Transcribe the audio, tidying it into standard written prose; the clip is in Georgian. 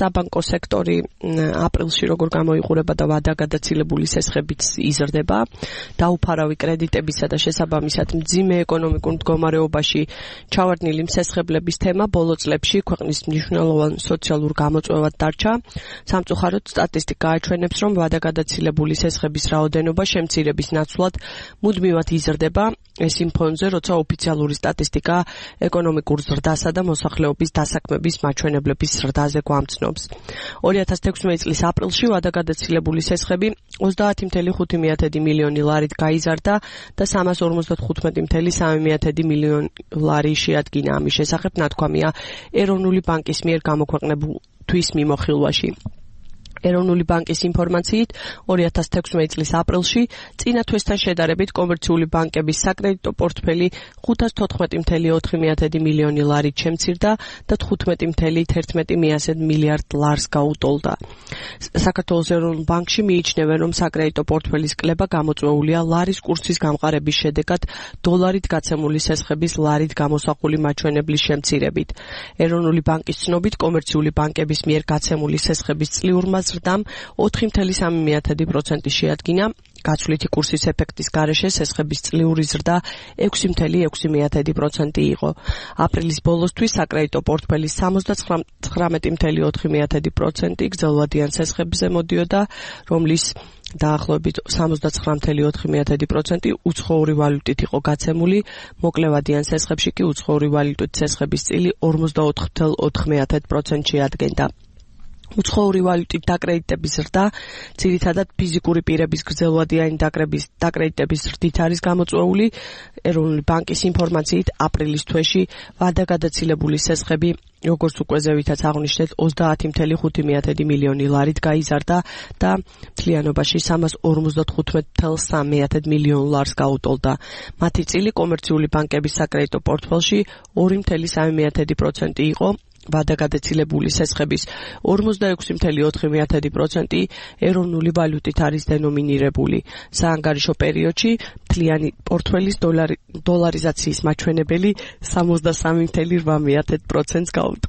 საბანკო სექტორი აპრილში როგორ გამოიყურება და ვადაგადაცილებული სესხებით იზრდება. დაუფარავი კრედიტებისა და შესაბამისად მძიმე ეკონომიკურ მდგომარეობაში ჩავარდნილი მსესხებლების თემა ბოლო წლებში ქვეყნის მნიშვნელოვან სოციალურ გამოწვევად დარჩა. სამწუხაროდ სტატისტიკა აჩვენებს, რომ ვადაგადაცილებული სესხების რაოდენობა შემცირების ნაცვლად მუდმივად იზრდება. ეს იმ ფონზე, როცა ოფიციალური სტატისტიკა ეკონომიკურ ზრდასა და მოსახლეობის დასაქმების მაჩვენებლების ზრდაზე გვამცნობს. 2016 წლის აპრილში ვადაგადაცილებული სესხები 30.5 მილიონი ლარით გაიზარდა და 355.3 მილიონი ლარი შეადგინა. ამის შესახებ ნათქვამია ეროვნული ბანკის მიერ გამოქვეყნებულ თვის მიმოხილვაში. ეროვნული ბანკის ინფორმაციით 2016 წლის აპრილში წინა თვესთან შედარებით კომერციული ბანკების საკრედიტო პორტფელი 514.4 მილიონი ლარით შემცირდა და 15.11 მილიარდ ლარს გაუტოლდა. საქართველოს ეროვნულ ბანკში მიიჩნევენ, რომ საკრედიტო პორტფელის კლება გამოწვეულია ლარის კურსის გამყარების შედეგად დოლარით გაცემული სესხების ლარით გამოსახული მაჩვენებლის შემცირებით. ეროვნული ბანკის ცნობით კომერციული ბანკების მიერ გაცემული სესხების წლიურმა ზრდამ 4.3% შეადგინა. გაცვლითი კურსის ეფექტის გარეშე სესხების წლიური ზრდა 6.6% იყო. აპრილის ბოლოსთვის საკრედიტო პორტფელის 79.4% გრძელვადიან სესხებზე მოდიოდა, რომლის დაახლოებით 79.4% უცხოური ვალუტით იყო გაცემული, მოკლევადიან სესხებში კი უცხოური ვალუტით სესხების წილი 44.4% შეადგენდა. უცხოური ვალუტით დაკრედიტების ზრდა ძირითადად ფიზიკური პირების გრძელვადიანი დაკრედიტების ზრდით არის გამოწვეული. ეროვნული ბანკის ინფორმაციით აპრილის თვეში ვადაგადაცილებული სესხები, როგორც უკვე ზევითაც აღნიშნეთ, 30.5 მილიონი ლარით გაიზარდა და მთლიანობაში 355.3 მილიონ ლარს გაუტოლდა. მათი წილი კომერციული ბანკების საკრედიტო პორტფელში 2.3% იყო. ვადაგადაცილებული სესხების 46.4% ეროვნული ვალუტით არის დენომინირებული. საანგარიშო პერიოდში მთლიანი პორტფელის დოლარიზაციის მაჩვენებელი 63.8%-ს გაუტოლდა.